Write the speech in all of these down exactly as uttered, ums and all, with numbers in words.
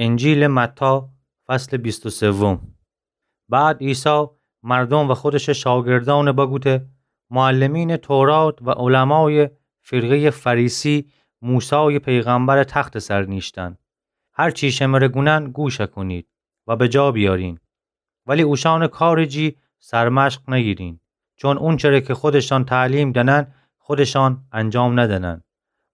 انجیلٚ متی، فصلٚ بیست و سوم. بعد عیسی مردوم و خودشٚ شاگردأن بگوته: معلمینٚ تورات و علمایٚ فرقه‌یٚ فریسی موسایٚ پیغمبرٚ تختٚ سر نیشتن. هر چی شمره گونن گوش کنید و به جا بیارین. ولی اوشانٚ کارٚ جی سرمشق نگیرین، چون اونچره که خودشان تعلیم دنن، خودشان انجام ندنن.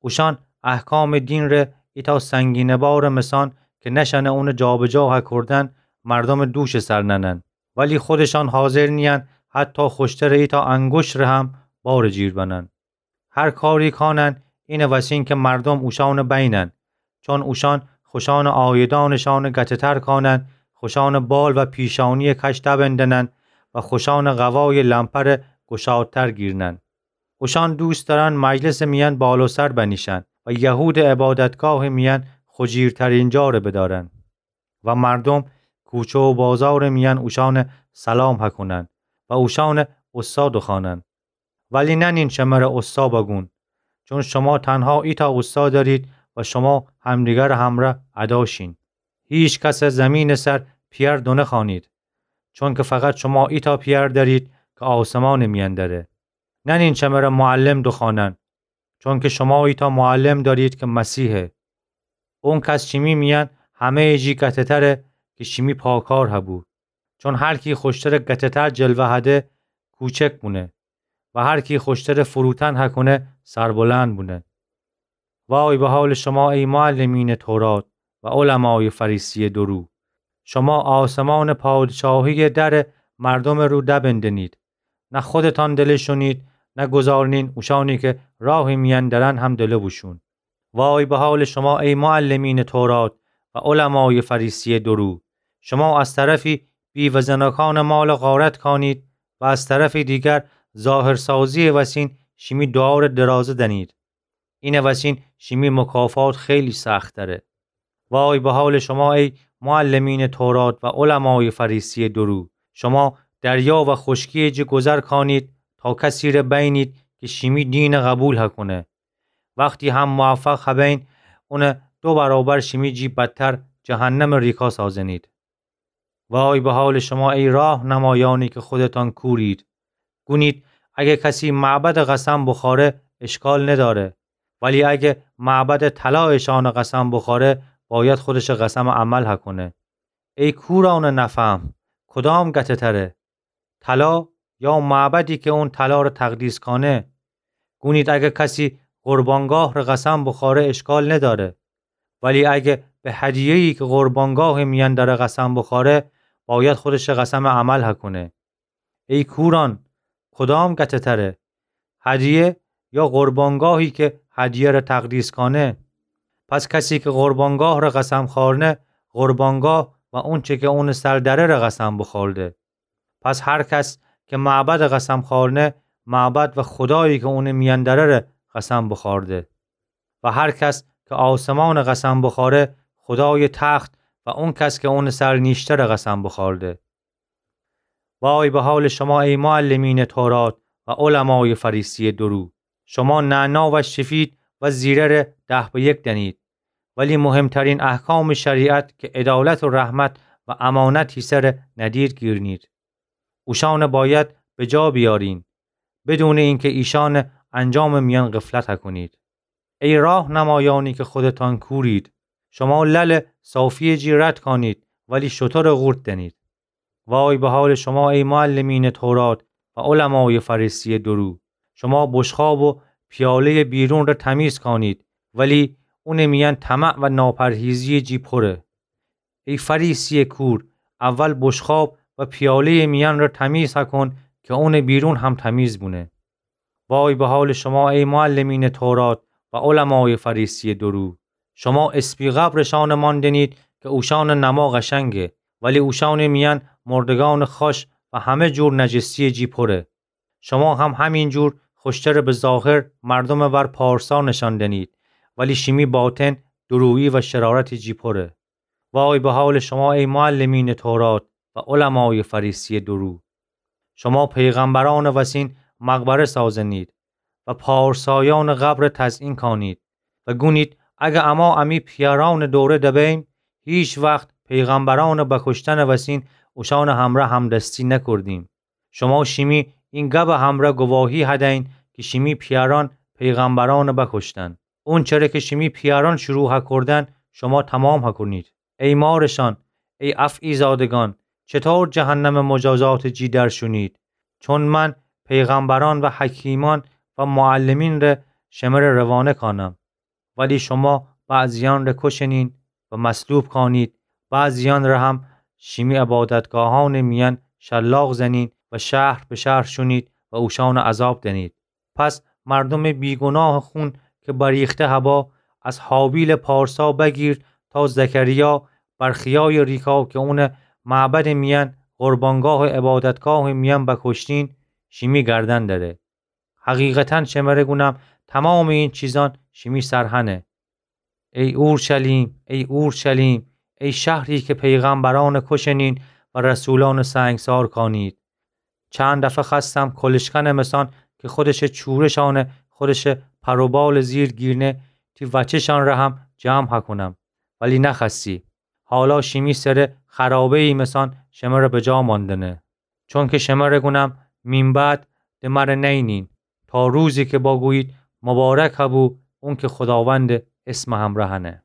اوشان احکامٚ دینٚ ایتأ سنگینٚ بارٚ مثان که نشأنه اونٚ جابجا هکردن، مردومٚ دوشٚ سر ننن، ولی خودشان حاضر نیین حتی خوشترٚ ایتأ انگشتٚ ره هم بارٚ جیر بنن. هر کاری کانن، اینه وسین که مردوم اوشانٚ بینن، چون اوشان خوشانٚ آیدانشانٚ گته‌تر کانن، خوشانٚ بال و پیشانیٚ کش دبندنن و خوشانٚ قوایٚ لمپره گشادتر گیرنن. اوشان دوست دارن مجلسٚ میأن بال و سر بنیشن و یهودٚ عبادتگاهٚ میأن خو جیرترین جاره بدارن. و مردوم کوچه و بازارٚ میأن اوشانه سلام هکنن و اوشانه اوستا دوخوانن. ولی ننین شمره اوستا بگون، چون شما تنها ایتأ اوستا دأرید و شما همدیگرٚ همره ادا شین. هیکسه زمینٚ سر پیئر دونخوانید، چونکه فقط شما ایتأ پیئر دأرید که آسمانٚ میأن دأره. ننین شمره معلم دوخوانن، چونکه شما ایتأ معلم دأرید که مسیحه. اونکس شیمی میأن همه‌یٚ جی گته‌تره که شیمی پاکار هبو. چون هر کی خوشتره گته‌تر جلوه هده، کوچک بونه و هر کی خوشتره فروتن هکونه، سربلند بونه. وای به حالٚ شما ای معلمینٚ تورات و علمایٚ فریسیٚ دورو! شما آسمانٚ پادشاهیٚ درٚ مردومٚ رو دبندنید. نه خودتان دله شونید، نه گذارنین اوشانی که راهٚ میأن درن هم دله بوشون. وای به حالٚ شما ای معلمینٚ تورات و علمایٚ فریسیٚ دورو! شما از طرفی بیوه‌زناکانٚ مال غارت کانید و از طرفٚ دیگر ظاهرسازیٚ وسین شیمی دوعاره درازه دنید. اینٚ وسین شیمی مکافات خیلی سخت‌تره. وای به حالٚ شما ای معلمینٚ تورات و علمایٚ فریسیٚ دورو! شما دریا و خوشکیٚ جی گذر کانید تا کسی ره بینید که شیمی دینٚ قبول هکونه. وختی هم موفق هبین، اونه دو برابر شیمی جی بدتر جهنمٚ ریکا سازنید. وای به حالٚ شما ای راهنمایانی که خودتان کورید! گونید اگه کسی معبدٚ قسم بخواره، اشکال نداره، ولی اگه معبدٚ طلا اشانٚ قسم بخواره، باید خودشٚ قسمٚ عمل هکونه. ای کورانٚ نفهم، کدام گته‌تره؟ طلا یا معبدی که اون طلا ره تقدیس کانه؟ گونید اگه کسی قربانگاه ره قسم بخواره، اشکال نداره، ولی اگه به هدیه‌یی که قربانگاهٚ میأن دره قسم بخواره، باید خودشٚ قسمٚ عمل هکونه. ای کوران، کدام گته‌تره؟ هدیه یا قربانگاهی که هدیه ره تقدیس کانه؟ پس کسی که قربانگاه ره قسم خوارنه، قربانگاه و اونچه که اونٚ سر دره ره قسم بخورده. پس هر کس که معبدٚ قسم خوارنه، معبد و خودایی که اونٚ میأن دره ره قسم بخورده. و هر کس که آسمانٚ قسم بخواره، خودایٚ تخت و اونکس که اونٚ سر نیشته ره قسم بخورده. وای به حالٚ شما ای معلمینٚ تورات و علمایٚ فریسیٚ دورو! شما نعنا و شفید و زیره ره ده به یک دنید، ولی مهمترین احکامٚ شریعت که عدالت و رحمت و امانت هیسه ره ندیر گیرنید. اوشانه باید به جا بیارین، بدونٚ اینکه ایشانٚ انجامٚ میأن غفلت هکونید. ای راهنمایانی که خودتان کورید! شما للٚ صافیٚ جی رد کانید، ولی شترٚ قورت دنید. وای به حالٚ شما ای معلمینٚ تورات و علمایٚ فریسیٚ دورو! شما بشقاب و پیاله‌یٚ بیرون ره تمیز کانید، ولی اونٚ میأن طمع و ناپرهیزیٚ جی پره. ای فریسیٚ کور، اول بشقاب و پیاله‌یٚ میأن ره تمیز هکون که اونٚ بیرون هم تمیز بونه. وای به حالٚ شما ای معلمینٚ تورات و علمایٚ فریسیٚ دورو! شما اسپی قبرٚ شانٚ مان دنید که اوشانٚ نما قشنگه، ولی اوشانٚ میأن مردگانٚ خاش و همه جور نجسیٚ جی پره. شما هم همین جور خوشترٚ به ظاهر مردمٚ ور پارسا نشان دنید، ولی شیمی باطن دورویی و شرارتٚ جی پره. وای به حالٚ شما ای معلمینٚ تورات و علمایٚ فریسیٚ دورو! شما پیغمبرانٚ وسین مقبره سازنید و پارسایانٚ قبر تزئین کانید و گونید اگه اما امی پیئرانٚ دوره دبیم، هیچ وخت پیغمبرأنٚ بکشتنٚ وسین اوشأنٚ همرأ همدستی نکردیم. شوما شیمی این گبٚ همرأ گواهی هدأیین کی شیمی پیأرأن پیغمبرأنٚ بکشتن. اونچره کی شیمی پیأرأن شروع هکردن، شوما تومام هکونید. ای مارشأن، ای افعی‌زادگأن، چطور جهنمٚ مجازاتٚ جی در شونید؟ چون من پیغمبرأن و حکیمأن و معلمین ره شمره روانه کانم، ولی شوما بعضیأن ره کشنین و مصلوب کانید، بعضیأن ره هم شیمی عبادتگاهأنٚ میأن شلاق زنین و شهر به شهر شونید و اوشأنٚ عذاب دنید. پس مردومٚ بیگوناهٚ خون کی بریخته هبا، از هابیلٚ پارسا بگیر تا زکریا، برخیایٚ ریکا کی اونٚ معبدٚ میأن، قربانگاهٚ عبادتگاهٚ میأن بکشتین، شیمی گردن دره. حقیقتاً شمره گونم، تومامٚ این چیزأن شیمی سر هنه. ای اورشلیم، ای اورشلیم، ای شهری کی پیغمبرأن کشنین و رسولأن سنگسار کانید. چند دفعه خوأستم کلشکنٚ مسأن کی خودشٚ چورشأنٚ، خودشٚ پر و بالٚ زیر گیرنه، تی وچه‌شأن ره هم جمع هکونم، ولی نخوأستی. حالا شیمی سره خرابه‌یی مسأن شمره بجا ماندنه. چونکی شمره گونم، مین بعد د مره نئینین، تا روزی کی باگویید، مبارک هبو اونکی خوداوندٚ اسمٚ همرأ هنه.